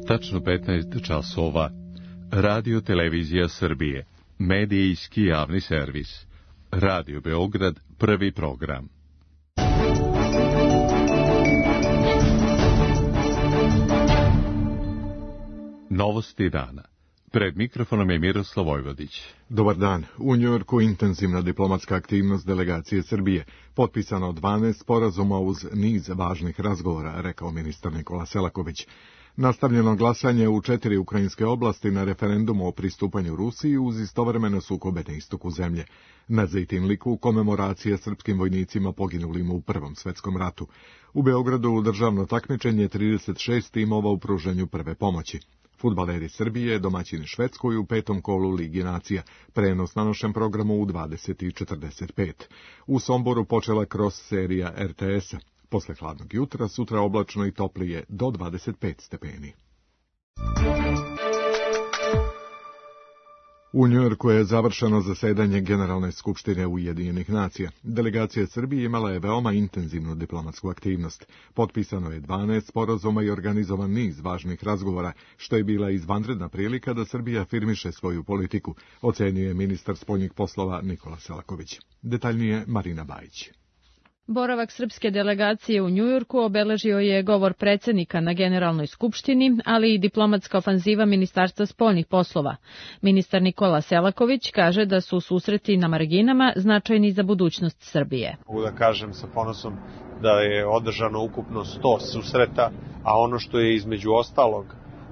Tačno 15 časova. Radio Televizija Srbije. Medijski javni servis. Radio Beograd, prvi program. Novosti dana. Pred mikrofonom je Miroslav Vojvodić. Dobar dan. U Njujorku intenzivna diplomatska aktivnost delegacije Srbije. Potpisano 12 sporazuma uz niz važnih razgovora, rekao ministar Nikola Selaković. Nastavljeno glasanje u 4 ukrajinske oblasti na referendumu o pristupanju Rusiji uz istovremeno sukobe na istoku zemlje. Na Zejtinliku komemoracija srpskim vojnicima poginulim u Prvom svetskom ratu. U Beogradu državno takmičenje 36 timova u pružanju prve pomoći. Fudbaleri Srbije domaćini Švedskoj u 5. kolu Ligi nacija, prenos na našem programu u 20:45. U Somboru počela cross serija RTS-a. Posle hladnog jutra, sutra oblačno i toplije do 25 stepeni. U Njujorku je završeno zasedanje Generalne skupštine Ujedinjenih nacija. Delegacija Srbije imala je veoma intenzivnu diplomatsku aktivnost. Potpisano je 12 sporazuma i organizovan niz važnih razgovora, što je bila izvanredna prilika da Srbija afirmiše svoju politiku, ocenio je ministar spoljnih poslova Nikola Selaković. Detaljnije Marina Bajić. Boravak srpske delegacije u Njujorku obeležio je govor predsjednika na Generalnoj skupštini, ali i diplomatska ofanziva Ministarstva spoljnih poslova. Ministar Nikola Selaković kaže da su susreti na marginama značajni za budućnost Srbije. Mogu da kažem sa ponosom da je održano ukupno 100 susreta, a ono što je između ostalog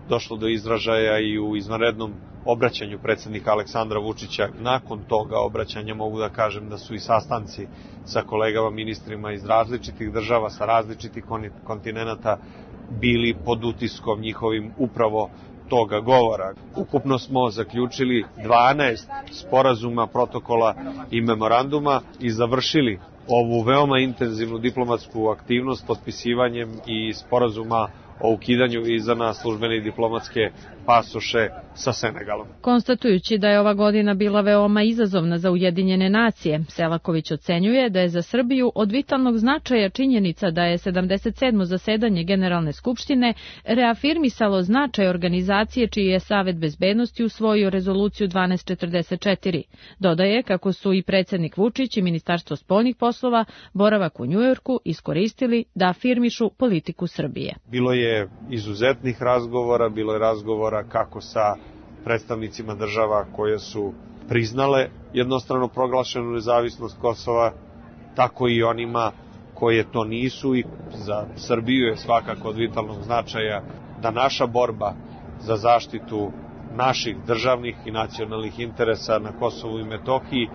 došlo do izražaja i u izvanrednom obraćanju predsjednika Aleksandra Vučića. Nakon toga obraćanja mogu da kažem da su i sastanci sa kolegama ministrima iz različitih država, sa različitih kontinenata bili pod utiskom njihovim upravo toga govora. Ukupno smo zaključili 12 sporazuma, protokola i memoranduma i završili ovu veoma intenzivnu diplomatsku aktivnost potpisivanjem i sporazuma o ukidanju viza na službene i diplomatske pasoše sa Senegalom. Konstatujući da je ova godina bila veoma izazovna za Ujedinjene nacije, Selaković ocenjuje da je za Srbiju od vitalnog značaja činjenica da je 77. zasedanje Generalne skupštine reafirmisalo značaj organizacije čiji je Savet bezbednosti usvojio rezoluciju 1244. Dodaje kako su i predsjednik Vučić i Ministarstvo spoljnih poslova boravak u Njujorku iskoristili da afirmišu politiku Srbije. Bilo je izuzetnih razgovora, bilo je razgovora kako sa predstavnicima država koje su priznale jednostrano proglašenu nezavisnost Kosova, tako i onima koje to nisu, i za Srbiju je svakako od vitalnog značaja da naša borba za zaštitu naših državnih i nacionalnih interesa na Kosovu i Metohiji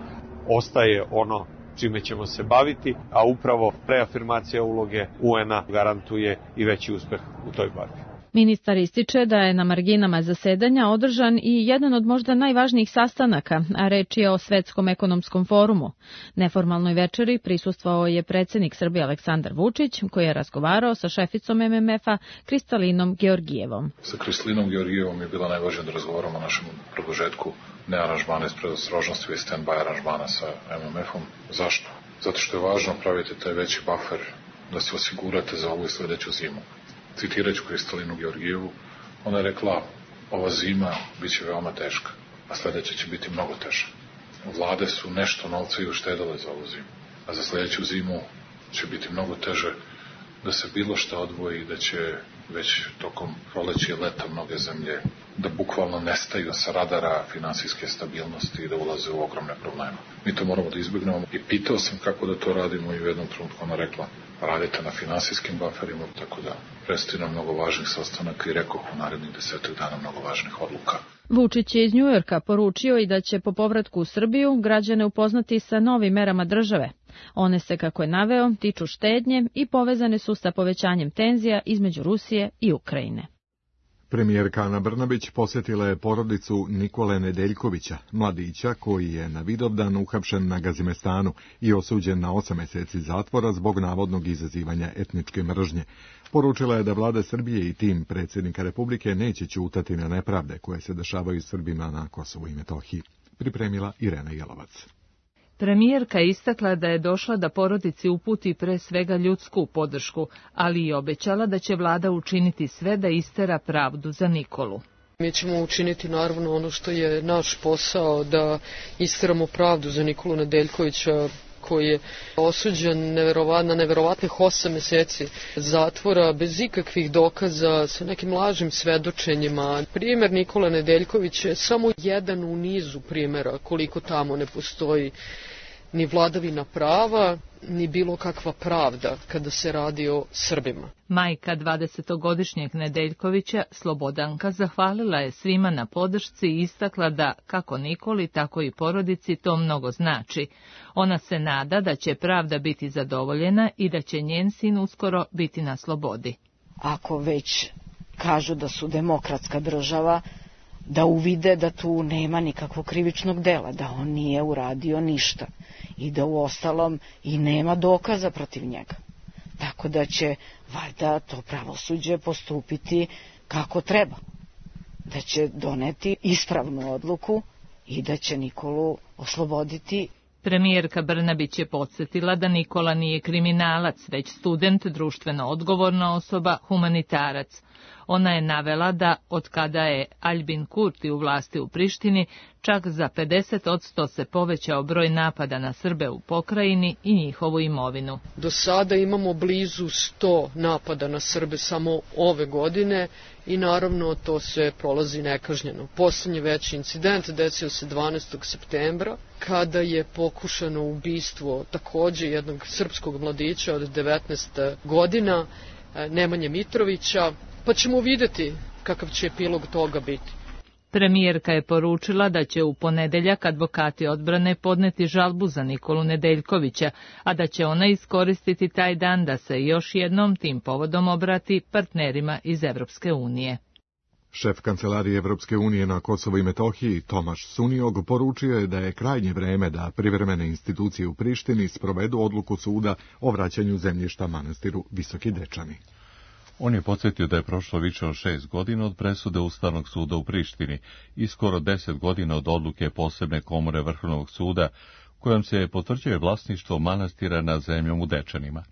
ostaje ono čime ćemo se baviti, a upravo reafirmacija uloge UN-a garantuje i veći uspeh u toj borbi. Ministar ističe da je na marginama zasedanja održan i jedan od možda najvažnijih sastanaka, a reč je o Svetskom ekonomskom forumu. Neformalnoj večeri prisustvovao je predsjednik Srbije Aleksandar Vučić, koji je razgovarao sa šeficom MMF-a Kristalinom Georgijevom. Sa Kristalinom Georgijevom je bila najvažnije da razgovaramo o našem produžetku ne aranžmana iz predostrožnosti, već stand-by aranžmana sa MMF-om. Zašto? Zato što je važno praviti taj veći buffer da se osigurate za ovu i sljedeću zimu. Citirat ću Kristalinu Georgijevu, ona je rekla, ova zima bit će veoma teška, a sljedeća će biti mnogo teža. Vlade su nešto novca i uštedale za ovu zimu, a za sljedeću zimu će biti mnogo teže da se bilo šta odvoji i da će već tokom proleća i leta mnoge zemlje da bukvalno nestaju sa radara finansijske stabilnosti i da ulaze u ogromne probleme. Mi to moramo da izbjegnemo i pitao sam kako da to radimo i u jednom trenutku ona rekla, radite na finansijskim bufferima, tako da predstoji nam mnogo važnih sastanaka i rekoh u narednih 10 dana mnogo važnih odluka. Vučić je iz Njujorka poručio i da će po povratku u Srbiju građane upoznati sa novim merama države. One se, kako je naveo, tiču štednje i povezane su sa povećanjem tenzija između Rusije i Ukrajine. Premijerka Ana Brnabić posjetila je porodicu Nikole Nedeljkovića, mladića koji je na Vidovdan uhapšen na Gazimestanu i osuđen na 8 mjeseci zatvora zbog navodnog izazivanja etničke mržnje. Poručila je da vlada Srbije i tim predsjednika Republike neće ćutati na nepravde koje se dešavaju Srbima na Kosovu i Metohiji. Pripremila Irena Jelovac. Premijerka je istakla da je došla da porodici uputi pre svega ljudsku podršku, ali i obećala da će vlada učiniti sve da istera pravdu za Nikolu. Mi ćemo učiniti naravno ono što je naš posao, da isteramo pravdu za Nikolu Nedeljkovića, koji je osuđen na neverovatnih 8 meseci zatvora bez ikakvih dokaza, sa nekim lažnim svedočenjima. Primer Nikola Nedeljkovića je samo jedan u nizu primera koliko tamo ne postoji ni vladavina prava, ni bilo kakva pravda kada se radi o Srbima. Majka 20-godišnjeg Nedeljkovića, Slobodanka, zahvalila je svima na podršci i istakla da, kako Nikoli, tako i porodici, to mnogo znači. Ona se nada da će pravda biti zadovoljena i da će njen sin uskoro biti na slobodi. Ako već kažu da su demokratska država, da uvide da tu nema nikakvog krivičnog dela, da on nije uradio ništa i da u ostalom i nema dokaza protiv njega. Tako da će valjda to pravosuđe postupiti kako treba, da će doneti ispravnu odluku i da će Nikolu osloboditi. Premijerka Brnabić je podsjetila da Nikola nije kriminalac, već student, društveno odgovorna osoba, humanitarac. Ona je navela da, od kada je Aljbin Kurti u vlasti u Prištini, čak za 50% se povećao broj napada na Srbe u pokrajini i njihovu imovinu. Do sada imamo blizu 100 napada na Srbe samo ove godine i naravno to se prolazi nekažnjeno. Poslednji veći incident desio se 12. septembra, kada je pokušano ubistvo takođe jednog srpskog mladića od 19 godina, Nemanje Mitrovića, pa ćemo videti kakav će epilog toga biti. Premijerka je poručila da će u ponedeljak advokati odbrane podneti žalbu za Nikolu Nedeljkovića, a da će ona iskoristiti taj dan da se još jednom tim povodom obrati partnerima iz Evropske unije. Šef kancelarije Evropske unije na Kosovo i Metohiji, Tomaš Suniog, poručio je da je krajnje vreme da privremene institucije u Prištini sprovedu odluku suda o vraćanju zemljišta manastiru Visoki Dečani. On je podsjetio da je prošlo više od 6 godina od presude Ustavnog suda u Prištini i skoro 10 godina od odluke posebne komore Vrhovnog suda, kojom se potvrđuje vlasništvo manastira nad zemljom u Dečanima.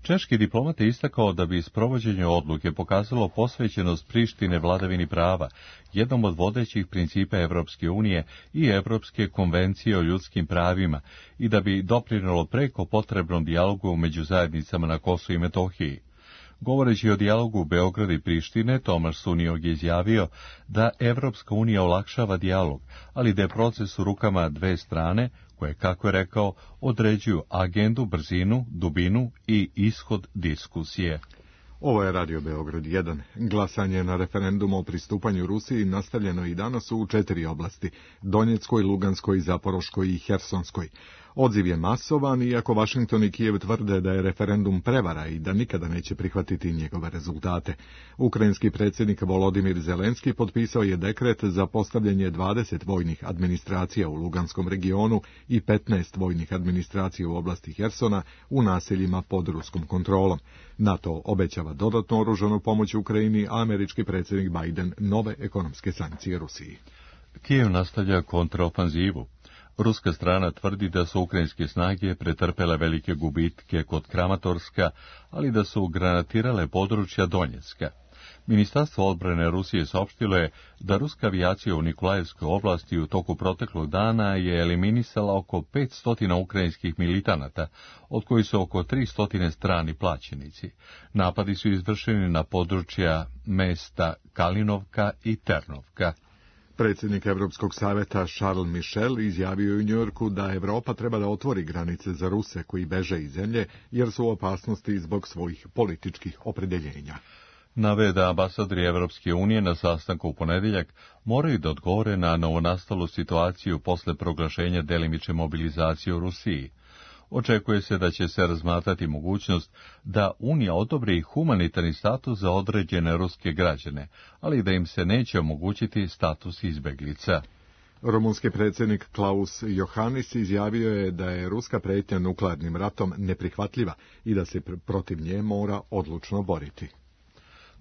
Češki diplomat je istakao da bi sprovođenje odluke pokazalo posvećenost Prištine vladavini prava, jednom od vodećih principa Evropske unije i Evropske konvencije o ljudskim pravima, i da bi doprinelo preko potrebnom dijalogu među zajednicama na Kosovu i Metohiji. Govoreći o dijalogu Beograda i Prištine, Tomaš Suniog je izjavio da Evropska unija olakšava dijalog, ali da je proces u rukama dve strane, koje, kako je rekao, određuju agendu, brzinu, dubinu i ishod diskusije. Ovo je Radio Beograd 1. Glasanje na referendumu o pristupanju Rusiji nastavljeno i danas u 4 oblasti, Donjeckoj, Luganskoj, Zaporoškoj i Hersonskoj. Odziv je masovan, iako Vašington i Kijev tvrde da je referendum prevara i da nikada neće prihvatiti njegove rezultate. Ukrajinski predsjednik Volodimir Zelenski potpisao je dekret za postavljanje 20 vojnih administracija u Luganskom regionu i 15 vojnih administracija u oblasti Hersona u naseljima pod ruskom kontrolom. NATO obećava dodatnu oružanu pomoć Ukrajini, a američki predsjednik Biden nove ekonomske sankcije Rusiji. Kijev nastavlja kontraofanzivu. Ruska strana tvrdi da su ukrajinske snage pretrpele velike gubitke kod Kramatorska, ali da su granatirale područja Donjecka. Ministarstvo odbrane Rusije saopštilo je da ruska avijacija u Nikolajevskoj oblasti u toku proteklog dana je eliminisala oko 500 ukrajinskih militanata, od kojih su oko 300 strani plaćenici. Napadi su izvršeni na područja mesta Kalinovka i Ternovka. Predsjednik Evropskog savjeta Charles Michel izjavio u Njujorku da Evropa treba da otvori granice za Ruse koji beže iz zemlje jer su u opasnosti zbog svojih političkih opredjeljenja. Naveo da ambasadori Evropske unije na sastanku u ponedjeljak moraju da odgovore na novonastalu situaciju posle proglašenja delimične mobilizacije u Rusiji. Očekuje se da će se razmatrati mogućnost da Unija odobri humanitarni status za određene ruske građane, ali da im se neće omogućiti status izbeglica. Rumunski predsjednik Klaus Johannis izjavio je da je ruska prijetnja nuklearnim ratom neprihvatljiva i da se protiv nje mora odlučno boriti.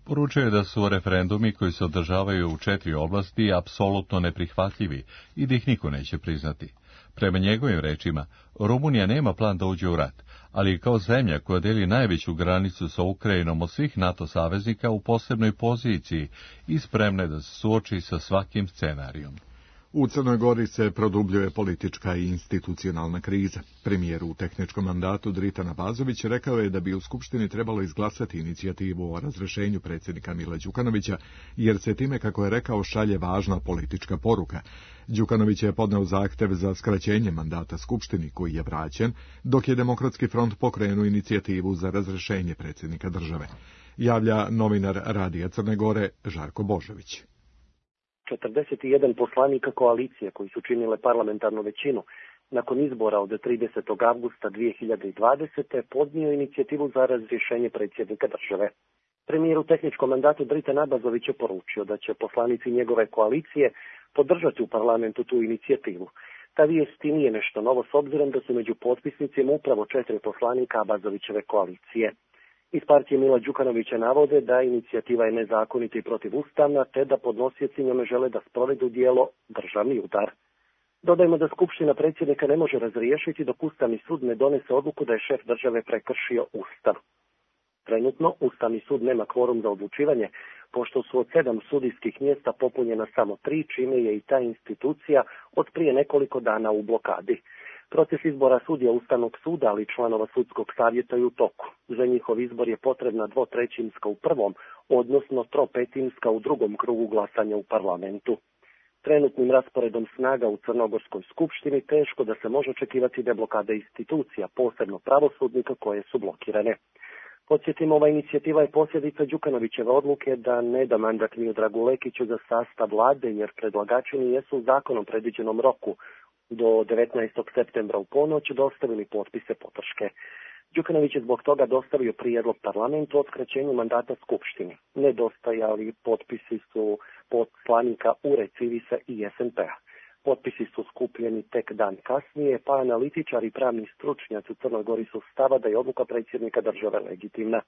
Poručuje je da su referendumi koji se održavaju u 4 oblasti apsolutno neprihvatljivi i da ih niko neće priznati. Prema njegovim rečima, Rumunija nema plan da uđe u rat, ali je kao zemlja koja deli najveću granicu sa Ukrajinom od svih NATO saveznika u posebnoj poziciji i spremna je da se suoči sa svakim scenarijom. U Crnoj Gori se produbljuje politička i institucionalna kriza. Premijer u tehničkom mandatu Dritan Abazović rekao je da bi u Skupštini trebalo izglasati inicijativu o razrešenju predsjednika Mila Đukanovića, jer se time, kako je rekao, šalje važna politička poruka. Đukanović je podneo zahtev za skraćenje mandata Skupštini, koji je vraćen, dok je Demokratski front pokrenuo inicijativu za razrešenje predsjednika države. Javlja novinar Radija Crne Gore Žarko Božović. 41 poslanika koalicije koji su činile parlamentarnu većinu nakon izbora od 30. avgusta 2020. podnio inicijativu za razrješenje predsjednika države. Premijer u tehničkom mandatu Dritan Abazović je poručio da će poslanici njegove koalicije podržati u parlamentu tu inicijativu. Ta vijest i nije nešto novo s obzirom da su među potpisnicima upravo 4 poslanika Abazovićeve koalicije. Iz partije Mila Đukanovića navode da inicijativa je nezakonita i protivustavna, te da podnosioci njome žele da sprovedu djelo državni udar. Dodajmo da Skupština predsjednika ne može razriješiti dok Ustavni sud ne donese odluku da je šef države prekršio Ustav. Trenutno Ustavni sud nema kvorum za odlučivanje, pošto su od 7 sudijskih mjesta popunjena samo 3, čime je i ta institucija od prije nekoliko dana u blokadi. Proces izbora sudija Ustavnog suda, ali i članova sudskog savjeta je u toku. Za njihov izbor je potrebna 2/3 u prvom, odnosno 3/5 u drugom krugu glasanja u parlamentu. Trenutnim rasporedom snaga u Crnogorskoj skupštini teško da se može očekivati deblokada institucija, posebno pravosudnika koje su blokirane. Podsjetimo, ova inicijativa je posljedica Đukanovićeve odluke da ne da mandat Miodragu Lekiću za sastav vlade, jer predlagači nijesu u zakonom predviđenom roku do 19. septembra u ponoć dostavili potpise podrške. Đukanović je zbog toga dostavio prijedlog parlamentu o skraćenju mandata Skupštini. Nedostajali potpisi su poslanika URE, Civisa i SNP-a. Potpisi su skupljeni tek dan kasnije, pa analitičari i pravni stručnjaci u Crnoj Gori su stava da je odluka predsjednika države legitimna.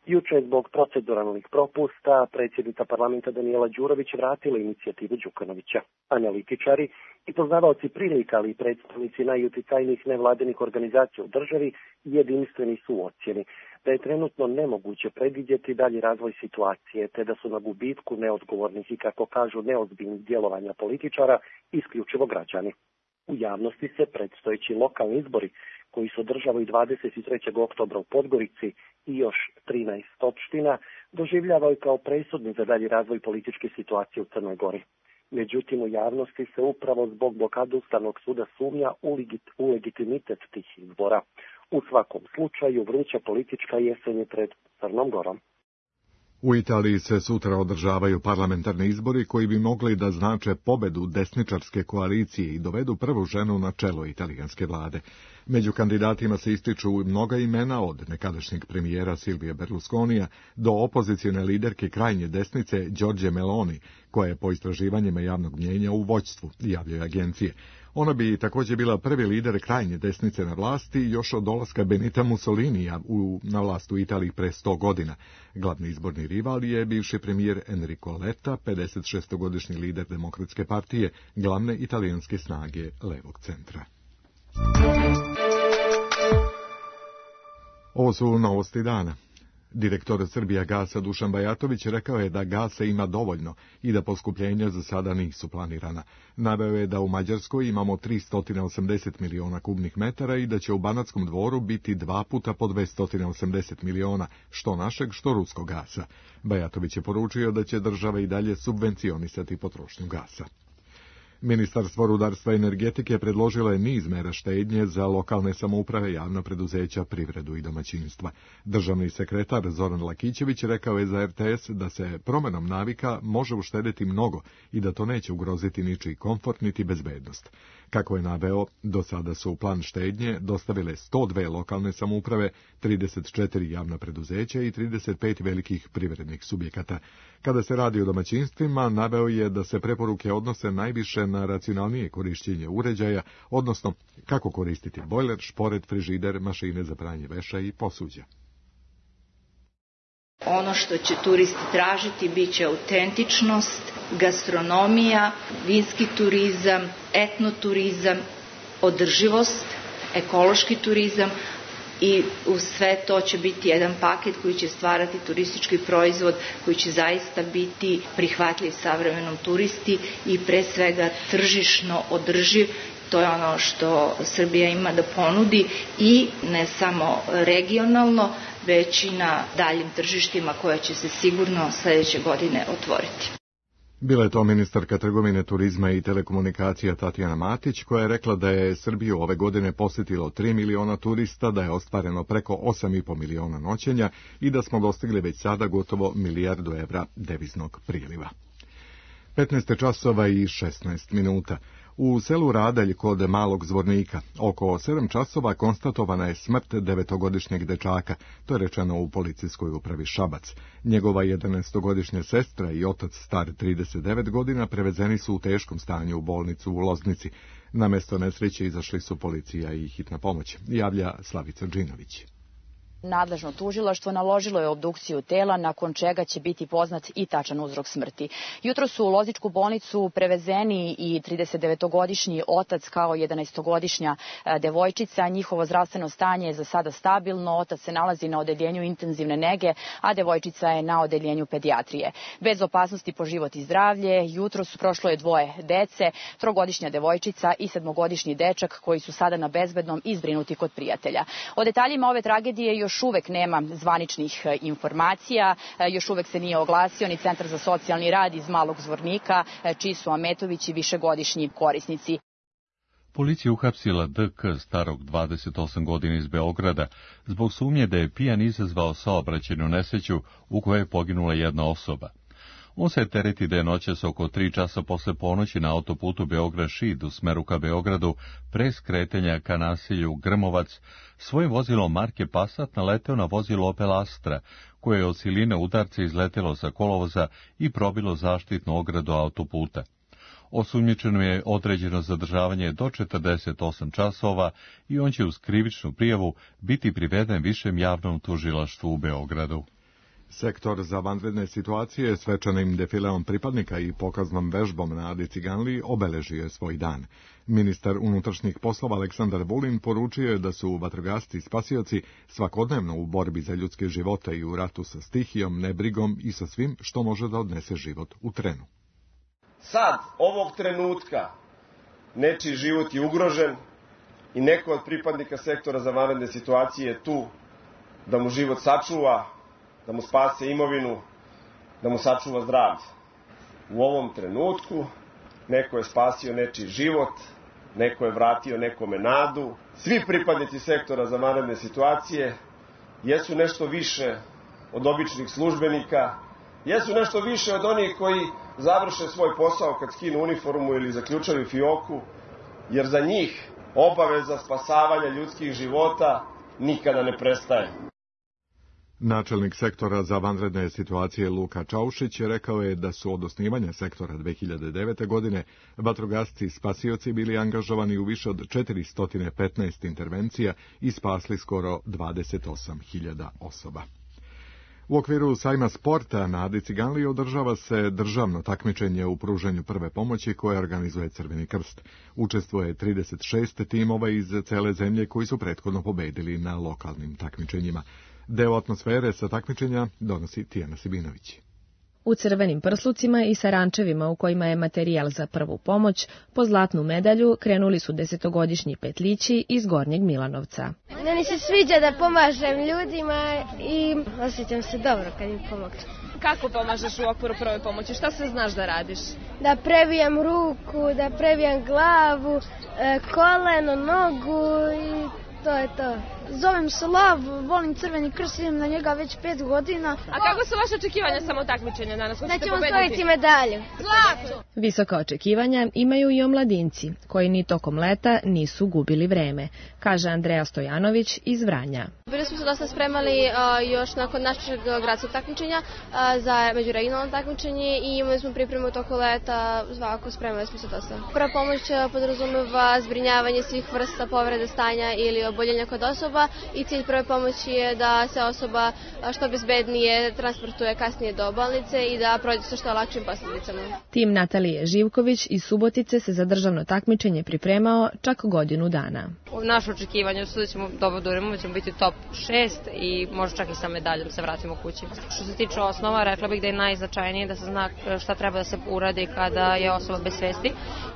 Juče zbog proceduralnih propusta predsjednica parlamenta Danijela Đurović vratila inicijativu Đukanovića. Analitičari i poznavaoci prilika, ali i predstavnici najuticajnijih nevladinih organizacija u državi jedinstveni su u ocjeni da je trenutno nemoguće predvidjeti dalji razvoj situacije, te da su na gubitku neodgovornih i, kako kažu, neozbiljnih djelovanja političara isključivo građani. U javnosti se predstojeći lokalni izbori, koji se održavaju 23. oktobra u Podgorici i još 13 opština, doživljavaju kao presudni za dalji razvoj političke situacije u Crnoj Gori. Međutim, u javnosti se upravo zbog blokade Ustavnog suda sumnja u legitimitet tih izbora. U svakom slučaju, vruća politička jesen je pred Crnom Gorom. U Italiji se sutra održavaju parlamentarni izbori koji bi mogli da znače pobedu desničarske koalicije i dovedu prvu ženu na čelo italijanske vlade. Među kandidatima se ističu mnoga imena, od nekadašnjeg premijera Silvija Berlusconija do opozicione liderke krajnje desnice Giorgie Meloni, koja je po istraživanjima javnog mnijenja u vođstvu, javljaju agencije. Ona bi također bila prvi lider krajnje desnice na vlasti još od dolaska Benita Mussolinija na vlast u Italiji pre 100 godina. Glavni izborni rival je bivši premijer Enrico Letta, 56-godišnji lider Demokratske partije, glavne italijanske snage levog centra. Ovo su novosti dana. Direktor Srbijagasa Dušan Bajatović rekao je da gasa ima dovoljno i da poskupljenja za sada nisu planirana. Naveo je da u Mađarskoj imamo 380 miliona kubnih metara i da će u Banatskom Dvoru biti 2 puta po 280 miliona, što našeg, što ruskog gasa. Bajatović je poručio da će država i dalje subvencionisati potrošnju gasa. Ministarstvo rudarstva i energetike predložilo je niz mera štednje za lokalne samouprave, javna preduzeća, privredu i domaćinstva. Državni sekretar Zoran Lakićević rekao je za RTS da se promjenom navika može uštedeti mnogo i da to neće ugroziti ničiji komfort niti bezbednost. Kako je naveo, do sada su u plan štednje dostavile 102 lokalne samouprave, 34 javna preduzeća i 35 velikih privrednih subjekata. Kada se radi o domaćinstvima, naveo je da se preporuke odnose najviše na racionalnije korišćenje uređaja, odnosno kako koristiti bojler, šporet, frižider, mašine za pranje veša i posuđa. Ono što će turisti tražiti bit će autentičnost, gastronomija, vinski turizam, etnoturizam održivost, ekološki turizam i uz sve to će biti jedan paket koji će stvarati turistički proizvod koji će zaista biti prihvatljiv savremenom turisti i pre svega tržišno održiv. To je ono što Srbija ima da ponudi i ne samo regionalno, već i na daljim tržištima koja će se sigurno sledeće godine otvoriti. Bila je to ministarka trgovine, turizma i telekomunikacija Tatjana Matić, koja je rekla da je Srbiju ove godine posjetilo 3 miliona turista, da je ostvareno preko 8,5 miliona noćenja i da smo dostigli već sada gotovo milijardu evra deviznog priliva. 15 časova i 16 minuta. U selu Radelj kod Malog Zvornika oko 7 časova konstatovana je smrt 9-godišnjeg dečaka, to je rečeno u policijskoj upravi Šabac. Njegova 11-godišnja sestra i otac star 39 godina prevezeni su u teškom stanju u bolnicu u Loznici. Na mesto nesreće izašli su policija i hitna pomoć, javlja Slavica Džinović. Nadležno tužilaštvo naložilo je obdukciju tela, nakon čega će biti poznat i tačan uzrok smrti. Jutro su u Lozničku bolnicu prevezeni i 39-godišnji otac kao 11-godišnja devojčica. Njihovo zdravstveno stanje je za sada stabilno. Otac se nalazi na odeljenju intenzivne nege, a devojčica je na odeljenju pedijatrije. Bez opasnosti po život i zdravlje, jutro su prošlo je 2 dece, 3-godišnja devojčica i 7-godišnji dečak koji su sada na bezbednom i zbrinuti kod prijatelja. O detaljima ove tragedije još uvek nema zvaničnih informacija, još uvek se nije oglasio ni Centar za socijalni rad iz Malog Zvornika, čiji su Ametovići višegodišnji korisnici. Policija uhapsila DK starog 28 godina iz Beograda zbog sumnje da je pijan izazvao saobraćajnu nesreću u kojoj je poginula jedna osoba. On se tereti da je noćas oko 3 časa posle ponoći na autoputu Beograd-Šid u smeru ka Beogradu pre skretanja ka naselju Grmovac svojim vozilom marke Passat naleteo na vozilo Opel Astra, koje je od siline udarca izletelo sa kolovoza i probilo zaštitnu ogradu autoputa. Osumnjičeno je određeno zadržavanje do 48 časova i on će uz krivičnu prijavu biti priveden višem javnom tužilaštvu u Beogradu. Sektor za vanredne situacije svečanim defileom pripadnika i pokaznom vežbom na Adi Ciganliji obeležio je svoj dan. Ministar unutrašnjih poslova Aleksandar Vulin poručio je da su vatrogasci i spasioci svakodnevno u borbi za ljudske živote i u ratu sa stihijom, nebrigom i sa svim što može da odnese život u trenu. Sad, ovog trenutka, nečiji život je ugrožen i neko od pripadnika sektora za vanredne situacije je tu da mu život sačuva, da mu spase imovinu, da mu sačuva zdravlje. U ovom trenutku neko je spasio nečiji život, neko je vratio nekome nadu. Svi pripadnici sektora za vanredne situacije jesu nešto više od običnih službenika, jesu nešto više od onih koji završe svoj posao kad skinu uniformu ili zaključaju fioku, jer za njih obaveza spasavanja ljudskih života nikada ne prestaje. Načelnik sektora za vanredne situacije Luka Čaušić rekao je da su od osnivanja sektora 2009. godine vatrogasci i spasioci bili angažovani u više od 415 intervencija i spasli skoro 28.000 osoba. U okviru sajma sporta na Adi Ciganliji održava se državno takmičenje u pružanju prve pomoći koje organizuje Crveni krst. Učestvuje 36 timova iz cele zemlje koji su prethodno pobedili na lokalnim takmičenjima. Deo atmosfere sa takmičenja donosi Tijana Sibinović. U crvenim prslucima i sarančevima u kojima je materijal za prvu pomoć, po zlatnu medalju krenuli su 10-godišnji petlići iz Gornjeg Milanovca. Meni se sviđa da pomažem ljudima i osjećam se dobro kad im pomogu. Kako pomažeš u okviru prve pomoći? Šta sve znaš da radiš? Da previjam ruku, da previjam glavu, koleno, nogu i to je to. Zovem se Lav, volim Crveni krst, idem na njega već 5 godina. A kako su vaše očekivanja samo takmičenja danas? Da ćemo osvojiti medalju. Zlato! Visoka očekivanja imaju i omladinci, koji ni tokom leta nisu gubili vreme, kaže Andreja Stojanović iz Vranja. Bili smo se dosta spremali još nakon našeg gradskog takmičenja za međuregionalno takmičenje i imali smo pripremu toko leta, svakako spremali smo se dosta. Prva pomoć podrazumeva zbrinjavanje svih vrsta povrede stanja ili oboljenja kod osoba osoba i cilj prve pomoći je da se osoba što bezbednije transportuje kasnije do bolnice i da prođe sa što lakšim posljedicama. Tim Natalije Živković iz Subotice se za državno takmičenje pripremao čak godinu dana. Naše očekivanje su da ćemo dobro da urimo, da ćemo biti top 6 i možda čak i sa medaljom se vratimo kući. Što se tiče osnova, rekla bih da je najznačajnije da se zna šta treba da se uradi kada je osoba bez svesti.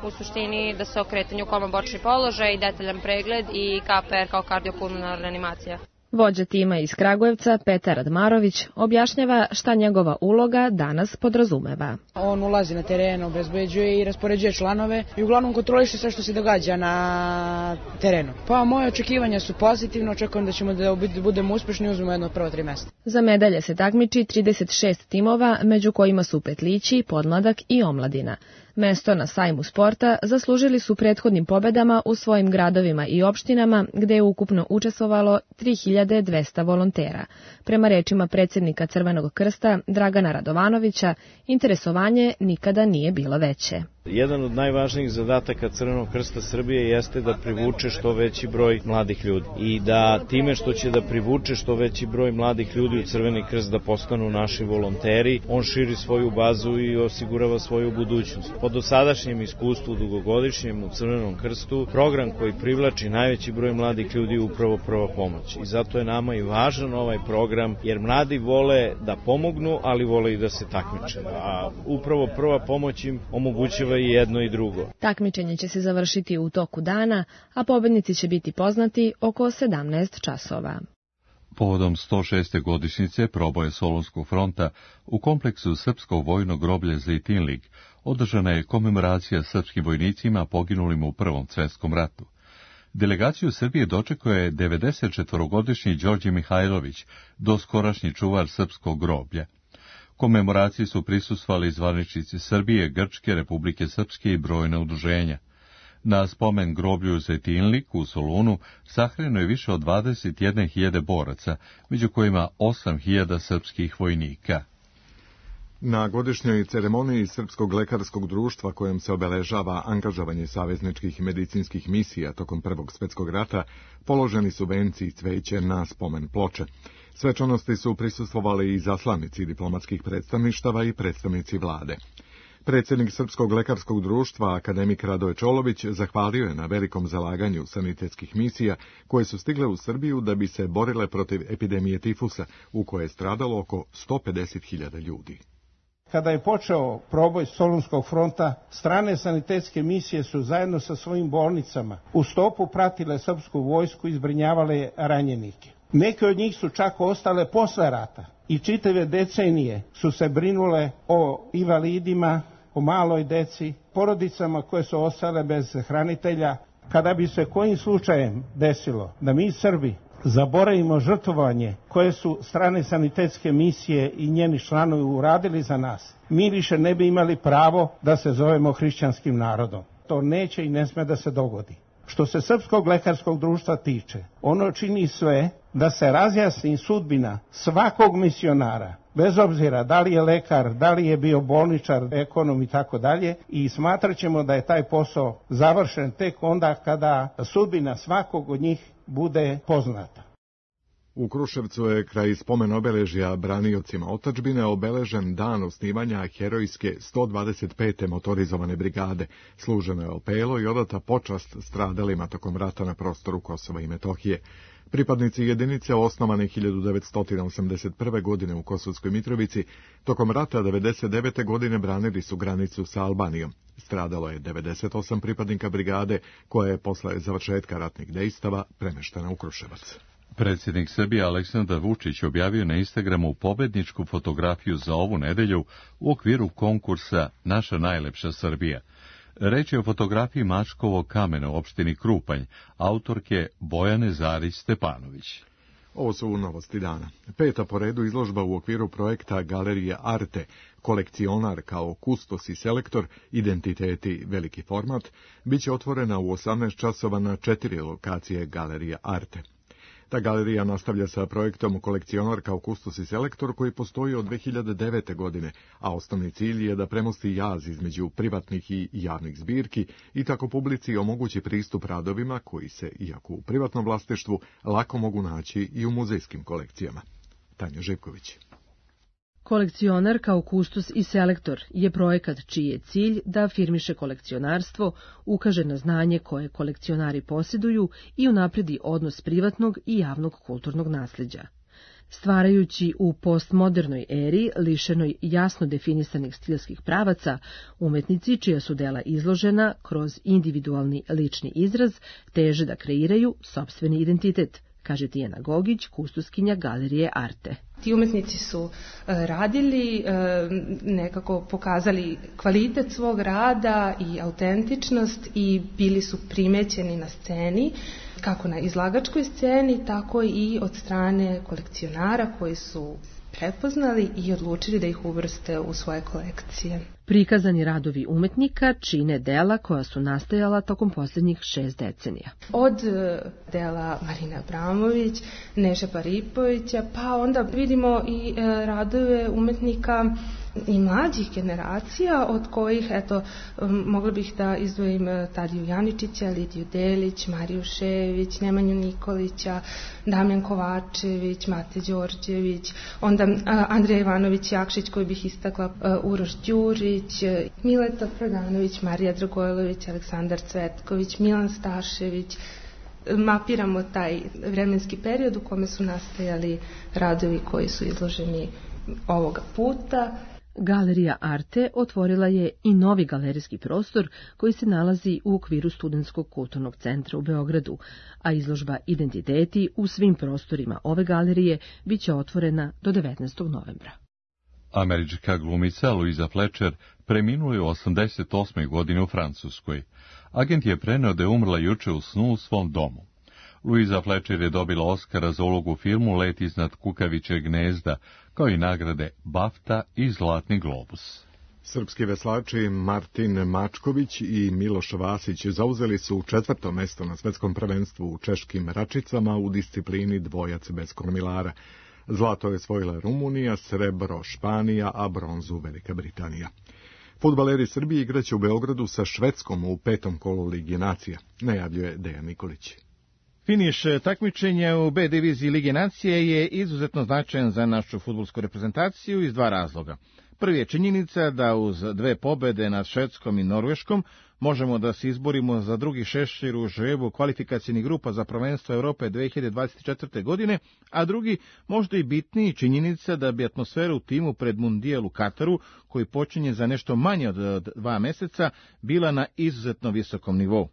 U suštini da se o kretanju kolno-bočni položaj, detaljan pregled i KPR kao kardiopulmonarna reanimacija. Vođa tima iz Kragujevca, Petar Radmarović, objašnjava šta njegova uloga danas podrazumeva. On ulazi na teren, obezbeđuje i raspoređuje članove i uglavnom kontroliše sve što se događa na terenu. Pa moje očekivanja su pozitivne, očekujem da ćemo da budemo uspešni i uzmemo jedno od prvo 3 mesta. Za medalje se takmiči 36 timova, među kojima su petlići, podmladak i omladina. Mesto na sajmu sporta zaslužili su prethodnim pobedama u svojim gradovima i opštinama, gde je ukupno učestvovalo 3200 volontera. Prema rečima predsjednika Crvenog krsta Dragana Radovanovića, interesovanje nikada nije bilo veće. Jedan od najvažnijih zadataka Crvenog krsta Srbije jeste da privuče što veći broj mladih ljudi i da time što će da privuče što veći broj mladih ljudi u Crveni krst da postanu naši volonteri, on širi svoju bazu i osigurava svoju budućnost. Po dosadašnjem iskustvu dugogodišnjem u Crvenom krstu, program koji privlači najveći broj mladih ljudi je upravo prva pomoć. I zato je nama i važan ovaj program, jer mladi vole da pomognu, ali vole i da se takmiče. A upravo prva pomoć im omogućava i jedno i drugo. Takmičenje će se završiti u toku dana, a pobednici će biti poznati oko 17 časova. Povodom 106. godišnjice proboja Solunskog fronta u kompleksu Srpskog vojnog groblja Zejtinlik održana je komemoracija srpskim vojnicima poginulim u Prvom svjetskom ratu. Delegaciju Srbije dočekao je 94-godišnji Đorđe Mihajlović, doskorašnji čuvar srpskog groblja. Komemoraciji su prisustvovali zvaničnici Srbije, Grčke, Republike Srpske i brojna udruženja. Na spomen groblju Zejtinlik u Solunu sahrano je više od 21.000 boraca, među kojima 8.000 srpskih vojnika. Na godišnjoj ceremoniji Srpskog lekarskog društva kojom se obeležava angažovanje savezničkih medicinskih misija tokom Prvog svjetskog rata, položeni su venci i cveće na spomen ploče. Svečanosti su prisustvovali i zaslanici diplomatskih predstavništava i predstavnici vlade. Predsjednik Srpskog lekarskog društva, akademik Radoje Čolović, zahvalio je na velikom zalaganju sanitetskih misija koje su stigle u Srbiju da bi se borile protiv epidemije tifusa, u kojoj je stradalo oko 150.000 ljudi. Kada je počeo proboj Solunskog fronta, strane sanitetske misije su zajedno sa svojim bolnicama u stopu pratile srpsku vojsku i zbrinjavale ranjenike. Neke od njih su čak ostale posle rata i čitave decenije su se brinule o invalidima, o maloj deci, porodicama koje su ostale bez hranitelja. Kada bi se kojim slučajem desilo da mi Srbi zaboravimo žrtvovanje koje su strane sanitetske misije i njeni članovi uradili za nas, mi više ne bi imali pravo da se zovemo hrišćanskim narodom. To neće i ne sme da se dogodi. Što se Srpskog lekarskog društva tiče, ono čini sve da se razjasni sudbina svakog misionara, bez obzira da li je lekar, da li je bio bolničar, ekonom i tako dalje, i smatrat ćemo da je taj posao završen tek onda kada sudbina svakog od njih bude poznata. U Kruševcu je kraj spomen obeležja braniocima otadžbine obeležen dan osnivanja herojske 125. motorizovane brigade. Služeno je opelo i odata počast stradalima tokom rata na prostoru Kosova i Metohije. Pripadnici jedinice osnovane 1981. godine u Kosovskoj Mitrovici tokom rata 1999. godine branili su granicu sa Albanijom. Stradalo je 98 pripadnika brigade koja je posle završetka ratnih dejstava premeštena u Kruševac. Predsjednik Srbije Aleksandar Vučić objavio na Instagramu pobedničku fotografiju za ovu nedelju u okviru konkursa Naša najlepša Srbija. Reč je o fotografiji Mačkovog kamena u opštini Krupanj, autorke Bojane Zarić Stepanović. Ovo su novosti dana. 5. po redu izložba u okviru projekta Galerije Arte, kolekcionar kao kustos i selektor, identiteti veliki format, bit će otvorena u 18 časova na 4 lokacije Galerije Arte. Ta galerija nastavlja sa projektom Kolekcionar kao kustos i selektor koji postoji od 2009. godine, a osnovni cilj je da premosti jaz između privatnih i javnih zbirki i tako publici omogući pristup radovima koji se, iako u privatnom vlasništvu, lako mogu naći i u muzejskim kolekcijama. Tanja Živković. Kolekcionar kao kustos i selektor je projekat čiji je cilj da afirmiše kolekcionarstvo, ukaže na znanje koje kolekcionari posjeduju i unapredi odnos privatnog i javnog kulturnog nasljeđa. Stvarajući u postmodernoj eri, lišenoj jasno definisanih stilskih pravaca, umetnici čija su dela izložena kroz individualni lični izraz teže da kreiraju sopstveni identitet, kaže Tijana Gogić, kustoskinja Galerije Arte. Ti umetnici su radili, nekako pokazali kvalitet svog rada i autentičnost i bili su primećeni na sceni, kako na izlagačkoj sceni, tako i od strane kolekcionara koji su prepoznali i odlučili da ih uvrste u svoje kolekcije. Prikazani radovi umetnika čine dela koja su nastajala tokom posljednjih 6 decenija. Od dela Marine Abramović, Neše Paripovića, pa onda vidimo i radove umetnika i mlađih generacija, od kojih, eto, mogla bih da izdvojim Tadiju Janičića, Lidiju Delić, Mariju Šević, Nemanju Nikolića, Damjan Kovačević, Mate Đorđević, onda Andrija Ivanović Jakšić, koji bih istakla, Uroš Đurić, Mileta Prodanović, Marija Dragojlović, Aleksandar Cvetković, Milan Stašević. Mapiramo taj vremenski period u kome su nastajali radovi koji su izloženi ovoga puta. Galerija Arte otvorila je i novi galerijski prostor koji se nalazi u okviru Studentskog kulturnog centra u Beogradu, a izložba Identiteti u svim prostorima ove galerije biće otvorena do 19. novembra. Američka glumica Louisa Fletcher preminula je u 88. godine u Francuskoj. Agent je preneo da je umrla juče u snu u svom domu. Louisa Fletcher je dobila Oskara za ulogu u filmu Let iznad kukavičjeg gnezda, kao i nagrade BAFTA i Zlatni globus. Srpski veslači Martin Mačković i Miloš Vasić zauzeli su 4. mesto na svetskom prvenstvu u češkim račicama u disciplini dvojac bez kormilara. Zlato je osvojila Rumunija, srebro Španija, a bronzu Velika Britanija. Fudbaleri Srbije igraće u Beogradu sa Švedskom u 5. kolu Lige nacija, najavljuje Dejan Nikolić. Finiš takmičenja u B diviziji Lige nacije je izuzetno značajan za našu fudbalsku reprezentaciju iz 2 razloga. Prvi je činjenica da uz 2 pobede nad Švedskom i Norveškom možemo da se izborimo za drugi šešir u žrebu kvalifikacijnih grupa za prvenstvo Evrope 2024. godine, a drugi, možda i bitniji, činjenica da bi atmosfera u timu pred Mundijal u Kataru, koji počinje za nešto manje od 2 meseca, bila na izuzetno visokom nivou.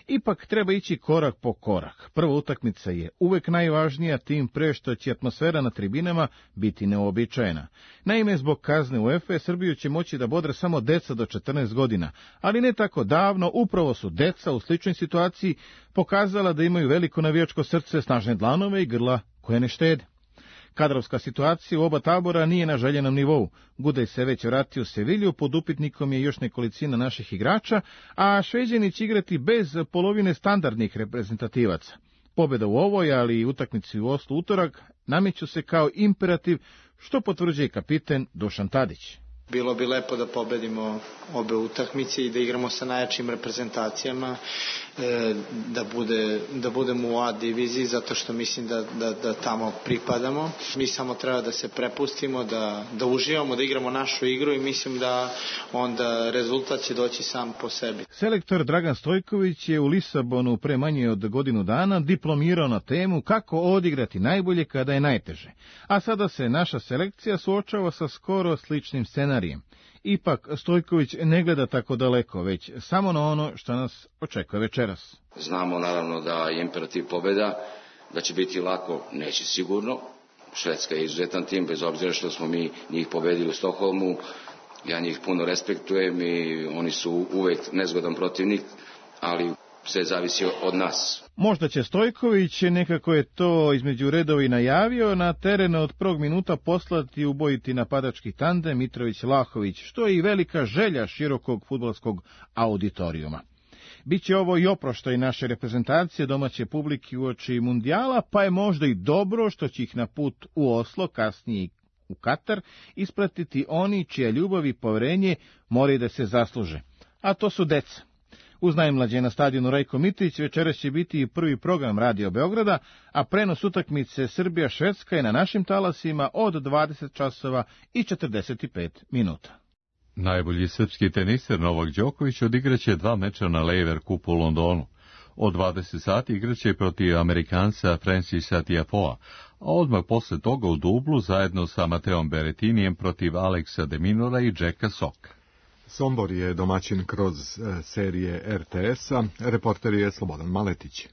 Ipak treba ići korak po korak. Prva utakmica je uvek najvažnija, tim pre što će atmosfera na tribinama biti neobičajena. Naime, zbog kazne UEFA Srbiju će moći da bodre samo deca do 14 godina, ali ne tako davno upravo su deca u sličnoj situaciji pokazala da imaju veliko navijačko srce, snažne dlanove i grla koje ne štede. Kadrovska situacija u oba tabora nije na željenom nivou. Gudej se već vratio u Sevilju, pod upitnikom je još nekolicina naših igrača, a Šveđani će igrati bez polovine standardnih reprezentativaca. Pobjeda u ovoj, ali i utakmici u Oslu utorak, nameću se kao imperativ, što potvrđuje kapiten Dušan Tadić. Bilo bi lepo da pobedimo obe utakmice i da igramo sa najjačim reprezentacijama, da budemo u A diviziji, zato što mislim da tamo pripadamo. Mi samo treba da se prepustimo, da uživamo, da igramo našu igru i mislim da onda rezultat će doći sam po sebi. Selektor Dragan Stojković je u Lisabonu pre manje od godinu dana diplomirao na temu kako odigrati najbolje kada je najteže. A sada se naša selekcija suočava sa skoro sličnim scenarijem. Ipak Stojković ne gleda tako daleko, već samo na ono što nas očekuje večeras. Znamo naravno da je imperativ pobjeda, da će biti lako, neće sigurno. Švedska je izuzetan tim, bez obzira što smo mi njih pobedili u Stokholmu. Ja njih puno respektujem i oni su uvek nezgodan protivnik, ali sve zavisi od nas. Možda će Stojković, nekako je to između redova i najavio, na teren od prvog minuta poslati i ubojiti napadački tandem Mitrović-Lahović, što je i velika želja širokog fudbalskog auditorijuma. Biće ovo i oproštaj naše reprezentacije domaće publike uoči mundijala, pa je možda i dobro što će ih na put u Oslo, kasnije u Katar, ispratiti oni čija ljubav i poverenje moraju da se zasluže. A to su deca. Uz najmlađe na stadionu Rajko Mitrović večeras će biti i prvi program Radio Beograda, a prenos utakmice Srbija-Švedska je na našim talasima od 20 časova i 45 minuta. Najbolji srpski teniser Novak Đoković odigraće 2 meča na Laver Cupu u Londonu. Od 20 sati igraće protiv Amerikanca Francisa Tiafoea, a odmah posle toga u dublu zajedno sa Mateom Berettinijem protiv Aleksa de Minora i Jacka Soka. Sombor je domaćin kroz serije RTS-a, reporter je Slobodan Maletić.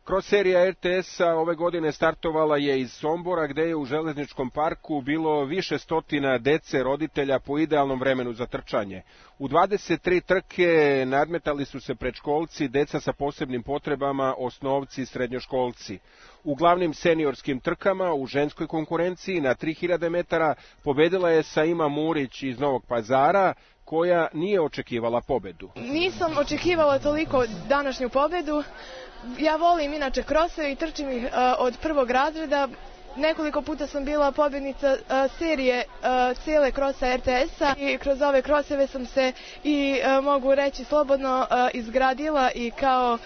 Kroz serija RTS-a ove godine startovala je iz Sombora, gde je u železničkom parku bilo više stotina dece roditelja po idealnom vremenu za trčanje. U 23 trke nadmetali su se predškolci, deca sa posebnim potrebama, osnovci i srednjoškolci. U glavnim seniorskim trkama u ženskoj konkurenciji na 3000 metara pobedila je Saima Murić iz Novog Pazara, koja nije očekivala pobedu. Nisam očekivala toliko današnju pobedu. Ja volim inače kroseve i trčim ih od prvog razreda. Nekoliko puta sam bila pobjednica serije cijele krosa RTS-a i kroz ove kroseve sam se i mogu reći slobodno izgradila i kao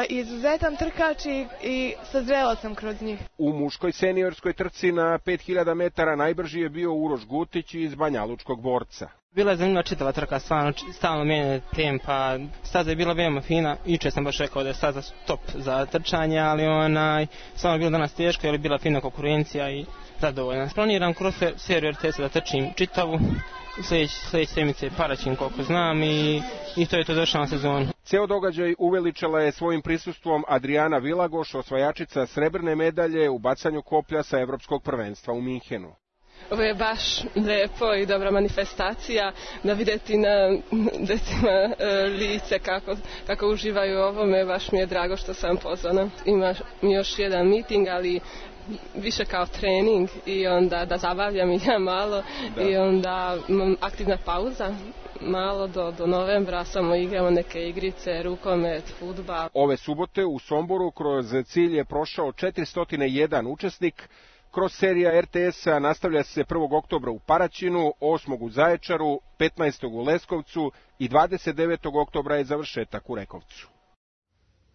izuzetan trkač i sazrela sam kroz njih. U muškoj seniorskoj trci na 5000 metara najbrži je bio Uroš Gutić iz Banjalučkog Borca. Bila je zanimljiva čitava trka, stvarno stalno mijenjanje tempa, staza je bila veoma fina, juče sam baš rekao da je staza top za trčanje, ali stvarno je bila danas teška, jer je bila fina konkurencija i zadovoljna. Planiram kroz seriju RTS-a da trčim čitavu, sljedeće sedmice Paraćin koliko znam i to je to došlo na sezonu. Ceo događaj uveličala je svojim prisustvom Adriana Vilagoš, osvajačica srebrne medalje u bacanju koplja sa evropskog prvenstva u Minhenu. Ovo je baš lepo i dobra manifestacija da vidjeti na decima lice kako uživaju u ovome. Baš mi je drago što sam pozvana. Ima još jedan miting, ali više kao trening i onda da zabavljam i ja malo i onda aktivna pauza. Malo do novembra samo igramo neke igrice, rukomet, fudbal. Ove subote u Somboru kroz cilj je prošao 401 učesnik. Kroz serija RTS-a nastavlja se 1. oktobra u Paraćinu, 8. u Zaječaru, 15. u Leskovcu i 29. oktobra je završetak u Rekovcu.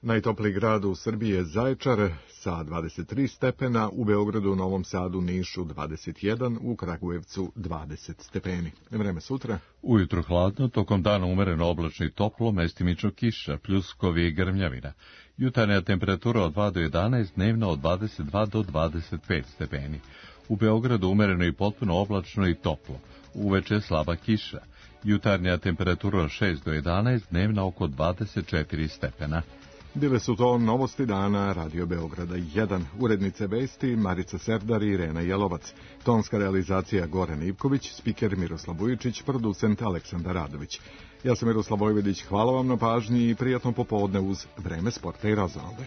Najtopliji grad u Srbiji je Zaječar sa 23 stepena, u Beogradu, Novom Sadu, Nišu 21, u Kragujevcu 20 stepeni. Vreme sutra. Ujutro hladno, tokom dana umereno oblačno i toplo, mestimično kiša, pljuskovi i grmljavina. Jutarnja temperatura od 2 do 11, dnevna od 22 do 25 stepeni. U Beogradu umereno i potpuno oblačno i toplo. Uveče slaba kiša. Jutarnja temperatura od 6 do 11, dnevna oko 24 stepena. Bile su to novosti dana Radio Beograda 1. Urednice vesti Marica Serdar i Irena Jelovac. Tonska realizacija Goran Ivković, spiker Miroslav Vujičić, producent Aleksandar Radović. Ja sam Miroslav Vojvodić, hvala vam na pažnji i prijatno popodne uz Vreme sporta i razonode.